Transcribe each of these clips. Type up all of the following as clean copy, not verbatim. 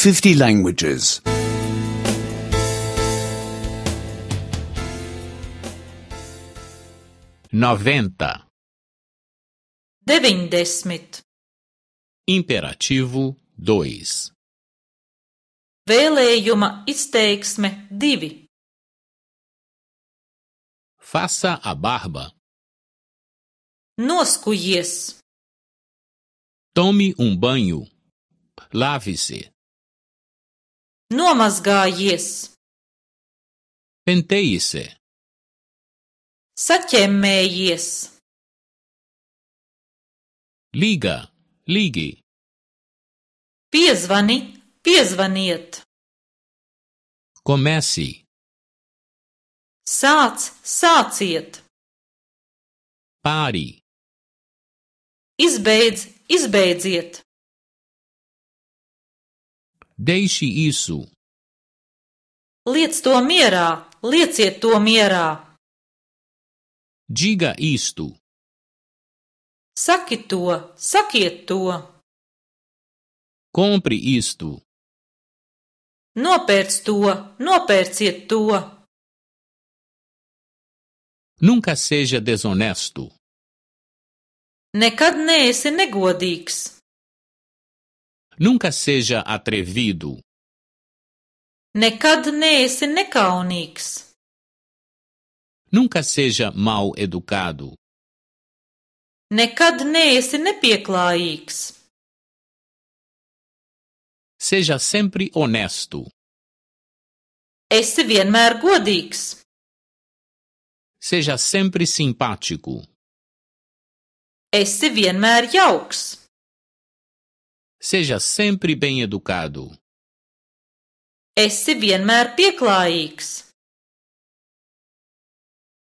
50 languages. 90. 90. Imperativo 2. Vēlējuma izteiksme 2. Faça a barba. Noskujies. Tome banho. Lave-se. Nomazgājies. Penteie-se. Saķemmējies. Ligue. Piezvaniet. Comece. Sāciet. Pare. Izbeidziet. Deixe isso. Lieciet to mierā. Diga isto. Sakiet to. Compre isto. Nopērciet to. Nunca seja desonesto. Nekad neesi negodīgs. Nunca seja atrevido. Nekad neesi nekaunīgs. Nunca seja mal educado. Nekad neesi nepieklājīgs. Seja sempre honesto. Esi vienmēr godīgs. Seja sempre simpático. Esi vienmēr jauks. Seja sempre bem educado. Esi vienmēr pieklājīgs.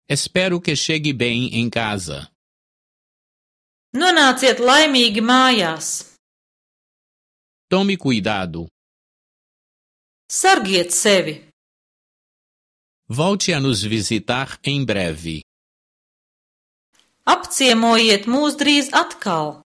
Espero que chegue bem em casa. Nonāciet laimīgi mājās. Tome cuidado. Sargiet sevi. Volte a nos visitar em breve. Apciemojiet mūs drīz atkal.